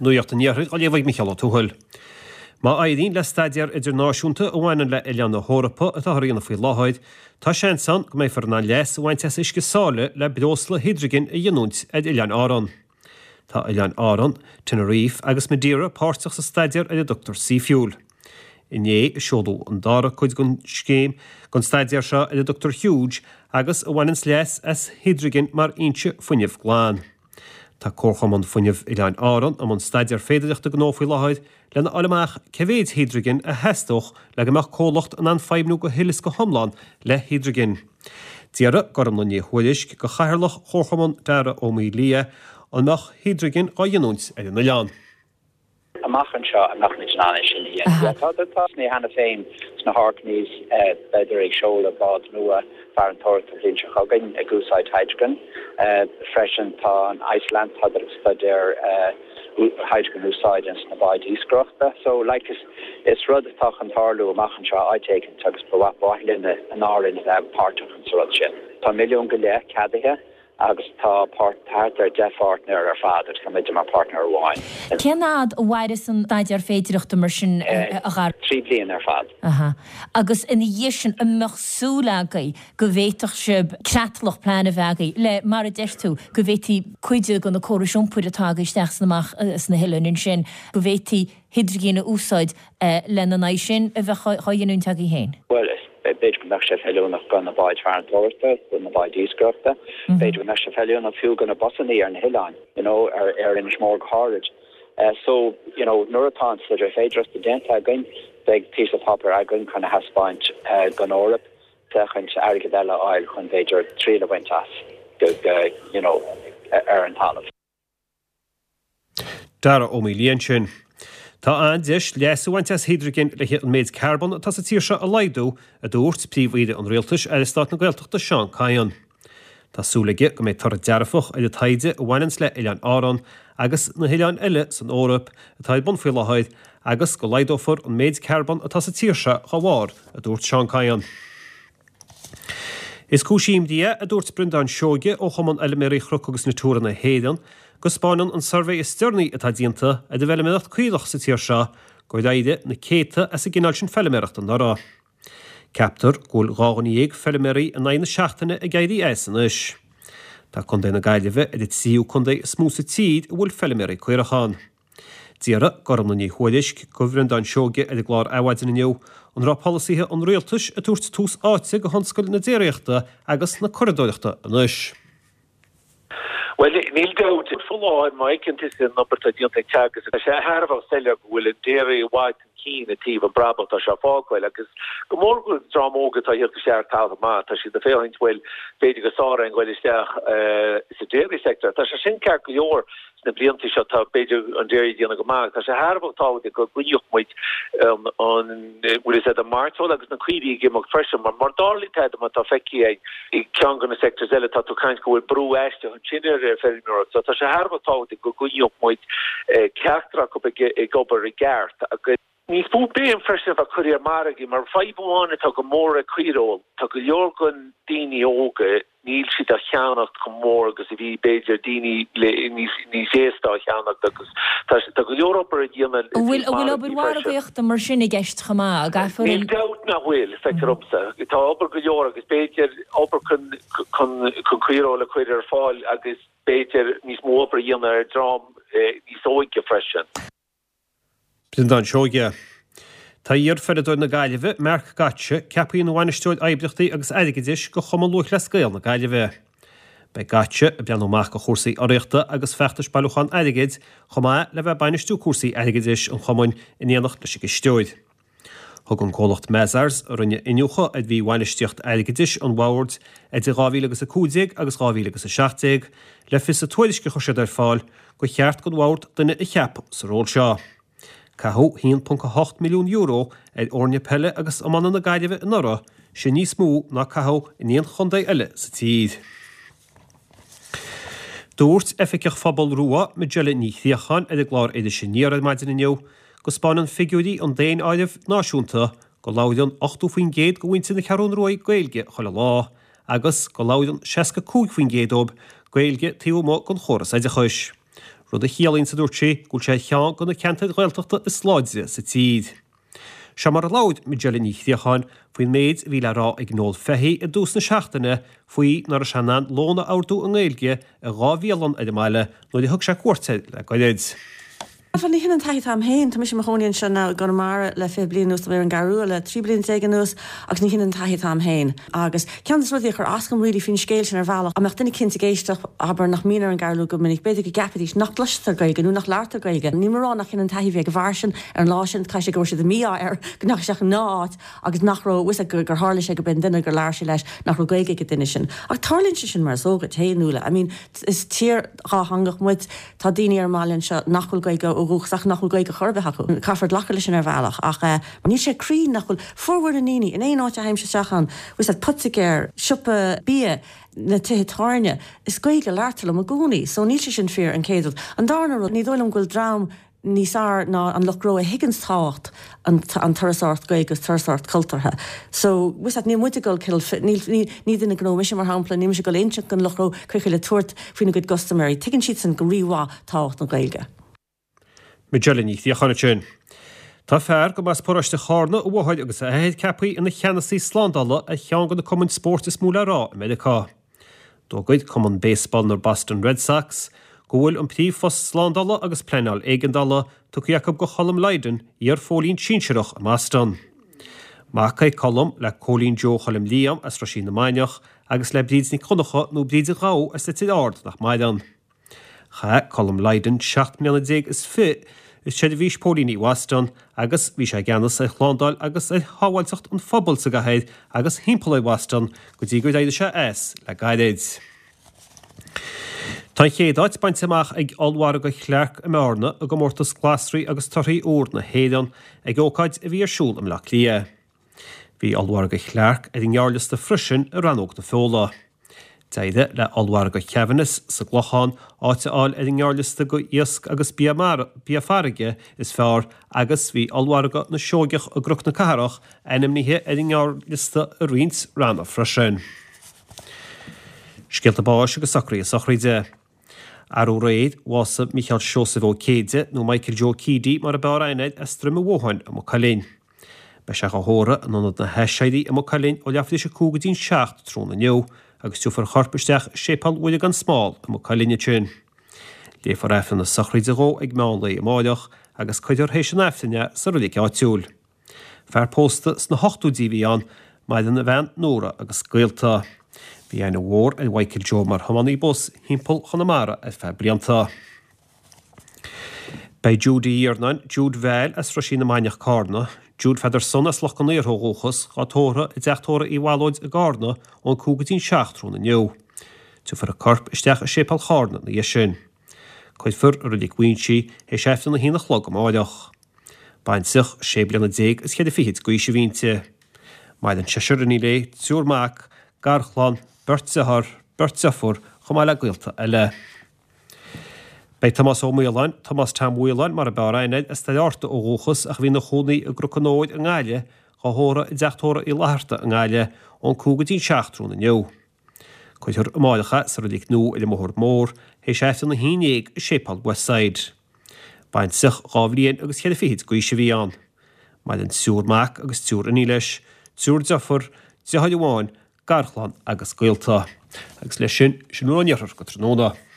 Nuacht an Iarthair á léamh ag Micheál Ó Tuathail. Má éiríonn le staidéar idirnáisiúnta a bhaineann le hoileáin na hEorpa atáthar a dhéanamh faoi láthair, tá seans ann go mbeifear in ann leas a bhaint as uisce sáile le breosla hidrigin a ghiniúint ar Oileáin Árann. Tá Oileáin Árann, Tenerife agus Madeira páirteach sa staidéar ar a dtugtar Seafuel. Inné a seoladh an dara cuid den scéim, den staidéar seo ar a dtugtar Huge agus a bhaineanns leas as hidrigin mar fhoinse fuinnimh glan. Tá Comharchumann Fuinnimh Oileáin Árann i mbun staidéar féidireachta gnó faoi láthair lena fháil amach cé mhéid hidrigin a theastódh le go mbeadh comhlacht in ann feidhmniú go huile is go hiomlán le hidrigin. D'fhiafraigh Gormlaith Ní Thuairisg de chathaoirleach Chomharchumann Dara Ó Maolaodha an mbeadh hidrigin dhá ghiniúint ar an oileán. amach anseo a mbeadh muid in ann é sin a dhéanamh. Tá tosnaithe cheana féin sna hOrkneys, beidh ag seoladh bád nua farantóireachta an bhliain seo chugainn ag úsáid hydrogen. Freisin tá an Iceland, tá ag staidéar hydrogen a úsáid ins na báid iascaireachta. So like is is rud atá chun tarlú amach anseo áit éicint agus ba mhaith linn in Árainn a bheith páirteach sa rud sin. Tá milliún go leith ceadaithe agus tá páirt, thart ar 10 pháirtnéir ar fad agus tá muide mar páirtnéir amháin. Cén fhad a mhairfeas an staidéar féidireachta mar sin, a Dhara? 3 bliana ar fad. Aha. Agus ina dhiaidh sin, an mbeadh súil agaibh go bhféadfadh sibh creatlach, plean a bheith agaibh le, mar a deir tú, go bhféadfaí cuid de na córais iompair atá agaibh isteach is amach sna hoileáin ansin, go bhféadfaí hidrigin a úsáid lena n-aghaidh sin a bheith dhá ghiniúint agaibh féin? Bhuel, b'fhéidir go mbeadh sé feiliúnach do na báid farantóireachta, do na báid iascaireachta. B'fhéidir go mbeadh sé feiliúnach fiú do na busannaí ar na hoileáin, you know, ar Inis Mór go háirid. So, you know, nuair atá an staidéar féidearthachta déanta againn, beidh píosa páipéir againn chun a thaispeáint don Eoraip, féachaint airgead eile a fháil chun b'fhéidir triail a bhaint as go, you know, ar an talamh. Dara Ó Maolaodha ansin. Tá an-deis leas a bhaint as hidrigin le an méid carbón atá sa tír seo a laghdú, a dúirt Príomh-Aoire an Rialtais, Aire Stáit na Gaeltachta Seán Kyne. Tá súil aige go mbeidh toradh dearfach ar an taighde a bhaineanns le Oileáin Árann agus na hoileáin eile san Eoraip atá ar bun faoi láthair agus go laghdófar an méid carbón atá sa tír seo dá bharr, a dúirt Seán Kyne. Is cúis imní é, a dúirt Breandán Seoige ó Chumann Fheilméaraí Chnoc agus Natura na hÉireann, go 'spáineann an suirbhé is deireanaí atá déanta ar an bhfeilméaracht caorach sa tír seo gur éirigh na céadta as an gcineál sin feilméarachta anuraidh. Ceaptar go bhfuil 12 dhuine feilméaraí in aghaidh na seachtaine ag éirí as anois. Tá Contae na Gaillimhe ar an tríú contae is mó sa tír a bhfuil feilméaraí caorach ann. D'fhiafraigh Gormlaith Ní Thuairisg de Bhreandán Seoige ar an gclár Adhmhaidin inniu an raibh polasaithe an rialtais ag tabhairt tús áite do thionscal na déiríochta agus na curadóireachta anois. Bhuel, níl dabht faoi láthair, má fheiceann tusa an obair atá déanta ag Teagasc, tá sé thar a bheith soiléir go bhfuil an dairy i bhfad chun cinn i dtaobh an brabach atá sé ag fágáil agus go mór go bhfuil dream óg atá ag theacht isteach ar talamh maith, tá siad ag féachaint, bhuel, b'fhéidir go sáraíonn goil isteach sa dairy sector. Tá sé sin ceart go leor. Sna blianta seo tá, b'fhéidir, an dairy ag déanamh go maith. Tá sé thar a bheith tábhachtach go gcoinneodh muid an, bhfuil fhios a'd, an mairteoil agus na caoirigh ag imeacht freisin mar mura dtarlaíonn tada mar atá feicthe againn i gceann de na sectors eile tá tú ag caint go bhfuil brú aisteach ansin ar feirmeoireacht. So tá sé thar a bheith tábhachtach go gcoinneodh muid ceachtar acu ag obair i gceart agus. Níos mó béim freisin a bheith curtha ar margaí, mar fadhb amháin atá go mór ag caoireoil, tá go leor den daoine óga, níl siad á cheannacht chomh mór agus a bhí b'fhéidir daoine le níos níos aosta á cheannacht agus tá tá go leor obair a dhéanamh An bhfuil an bhfuil obair margaí freisin. mhargaíochta mar sin i gceist chomh maith? An gcaithfear Níl an. dabht nach bhfuil, feictear dhomsa. Tá obair go leor agus b'fhéidir obair chun chun chun caoireoil a chur ar fáil agus b'fhéidir níos mó obair a dhéanamh ar dream níos óige freisin. Breandán Seoige. Tá iar-pheileadóir na Gaillimhe, Mark Gottsche, ceaptha ina bhainisteoir oibríochtaí agus airgeadais do Chumann Lúthchleas Gael na Gaillimhe. Beidh Gottsche ag breathnú amach do chúrsaí urraíochta agus feachtais bailiúchán airgid, chomh maith le bheith ag bainistiú cúrsaí airgeadais an chumainn in éineacht leis an gcisteoir. Thug an comhlacht Mazars, a rinne iniúchadh ar mhíbhainistíocht airgeadais an bhoird idir 2015 agus 2017, le fios sa tuairisc a chuir siad ar fáil gur cheart don bhord duine a cheapadh sa ról seo. Caitheadh €1.8 milliún ar fhoirne peile agus iomána na Gaillimhe anuraidh, sin níos mó ná caitheadh in aon chontae eile sa tír. Dúirt Oifigeach Phobal Rua, Majella Ní Chríocháin ar an gclár Iris Aniar ar maidin inniu go 'spáineann figiúirí an daonáirimh náisiúnta go labhraíonn 80% de mhuintir na Ceathrún Ruaidh Gaeilge chuile lá agus go labhraíonn 65% dóibh Gaeilge taobh amuigh den chóras oideachais. rud a chiallaíonns, a dúirt sí, go bhfuil sé ar cheann de na ceantair Ghaeltachta is láidre sa tír. Seo mar a labhair Majella Ní Chríocháin faoin méid a bhí le rá ag Noel Fehey i dtús na seachtaine faoi nach raibh sé in ann lón a ordú i nGaeilge i dá bhialann ar an mbaile nuair a thug sé cuairt air le goirid. Bhuel, ní hin an taithí atá a'm féin. Tá mise i mo chónaí anseo now i gConamara le 20 bliain anuas, tá mé ar an gCeathrú Rua le 13 bliain anuas agus ní hin an taithí atá a'm féin. Agus ceann de na rudaí a chuir as dom really faoin scéal sin ar bhealach, dá mbeadh duine eicínt ag éisteacht, abair, nach mbíonn ar an gCeathrú Rua go minic, b'fhéidir go gceapfaidís nach gcloistear Gaeilge nó nach labhartar Gaeilge. Níl mé a rá nach hin an taithí a bhí ag an bhfear sin ar an lá sin, caithfidh sé go raibh sé de mhí-ádh air go ndeachaigh sé isteach i ndá áit agus nach raibh a fhios aige gur tharla sé go b'é an duine gur labhair sé leis nach raibh Gaeilge ag an duine sin. Ach tarlaíonn sé sin mar is eol duit féin, Nuala. I mean, is tír dhátheangach muid. Tá daoine ar an mbaile anseo nach bhfuil Gaeilge ó dhúchas acu, nach bhfuil Gaeilge chor ar bith acu. Caithfear glacadh leis sin ar bhealach ach níl sé cruinn nach bhfuil formhór na ndaoine in aon áit a théimse isteach ann, bhfuil a fhios agat, poitigéir, siopa bia, na tithe tábhairne, is Gaeilge a labhartar liom i gcónaí. So níl sé sin fíor, an chéad rud. An darna rud, ní dóigh liom go bhfuil dream níos fearr ná an lucht gnó a thuigeanns tábhacht an turasóireacht Gaeilge agus turasóireacht cultúrtha. So, bhfuil a fhios agat, níl muid ag dul cineál, níl, ní, ní duine gnó mise mar shampla, níl mise ag dul a inseacht don lucht gnó cén chaoi le tabhairt faoina gcuid gcustaiméirí. Tuigeann siadsan go rí-mhaith tábhacht na Gaeilge. Majella Ní Chríocháin ansin. Tá fear gurb as paróiste Chárna a mháthair agus a athair ceaptha ina cheannasaí slándála ar cheann de na cumainn spóirt is mó le rá i Meiriceá. D'fhógair Cumann Baseball na Boston Red Sox go bhfuil an príomhphost slándála agus pleanáil éigeandála tugtha acu go Cholm Lydon, iar-phóilín sinsearach i mBoston. Mac é Colm le Cóilín Joe Choilm Liam as Roisín na Mainiach agus le Bríd Nic Dhonncha nó Bríd an Ghabha as Leitir Ard nach maireann. Chaith Colm Lydon 17 mbliana is fi i seirbhís póilíní Bhoston agus bhí sé i gceannas ar shlándáil agus ar shábháilteacht an phobail sa gcathair agus thimpeall ar Bhoston go dtí gur éirigh sé as le gairid. Tá an chéad áit bainte amach ag Ollmhargadh Clarke i mBearna i gcomórtas Glasraí agus Torthaí Úr na hÉireann ag ócáid a bhí ar siúl i mBleá Cliath. Bhí Ollmhargadh Clarke ar an ngearrliosta freisin i rannóg na feola. D'éirigh le Ollmhargadh Kavanagh's sa gClochán áit a fháil ar an ngearrliosta go iasc agus bia mara, bia farraige is fearr agus bhí Ollmhargadh na Seoigeach i gCnoc na Cathrach ainmnithe ar an ngearrliosta i roinnt ranna freisin. Scéalta báis agus socruithe sochraide. Arú aréir, bhásaigh Mícheál Seosamh Ó Céide, nó Michael Joe Keady mar a b'fhearr aithne air, as Droim an Bhótháin i Maigh Cuilinn. Beidh sé dhá thórramh in Ionad na hAiséirí i Maigh Cuilinn ó leathuair tar éis a 5 go dtí'n 7 tráthnóna inniu agus tiúrfar a chorp isteach i Séipéal Mhuire gan Smál i Maigh Cuilinn ansin. Léifear Aifreann na sochraide dhó ag meán lae amáireach agus cuirfear théis an Aifrinn é sa roilig áitiúil. Fear pósta sna hochtóidí a bhí ann, maireann a bhean Nóra agus gaolta. Bhí aithne mhór ar Mhichael Joe mar thiománaí bus thimpeall Chonamara ar feadh blianta. Beidh Jude Uí Iarnáin, Jude Val as Roisín na Mainiach Cárna, Jude Pheadair Son as Loch con Iartha ó dhúchas, dhá tórramh i dteach tórraimh Uí Bhallóid i gCárna ón 5 go dtí'n 7 tráthnóna inniu. Tiúrfar a corp isteach i Séipéal Chárna ina dhiaidh sin. Cuirfear i Reilig Mhaínse théis Aifreann a haon a chlog amáireach. Baintreach sé bliana déag is cheithre fichid d'aois a bhí inti. Maireann seisear iníon léi, triúr mac, garchlann, beirt dearthár, beirt deirfiúr, chomh maith le gaolta eile. Beidh Tomás Ó Maoláin, Tomás Tom Mhaoláin mar a b'fhearr aithne air, as Doire Fhatharta ó dhúchas ach a bhí ina chónaí i gCnoc an Óir i nGaillimh, dhá thórramh i dteach tórraimh Uí Fhlatharta i nGaillimh ón 5 go dtí'n 7 tráthnóna inniu. Cuirfear amáireach é sa Reilig Nua ar an mBóthar Mór théis Aifreann a haon dhéag i Séipéal Westside. Baintreach dhá bhliain agus cheithre fichid d'aois a bhí ann. Maireann triúr mac agus triúr iníon leis, triúr deirfiúr, deartháir amháin, garchlann agus gaolta. Agus leis sin, sin a bhfuil ón iarthar go tráthnóna.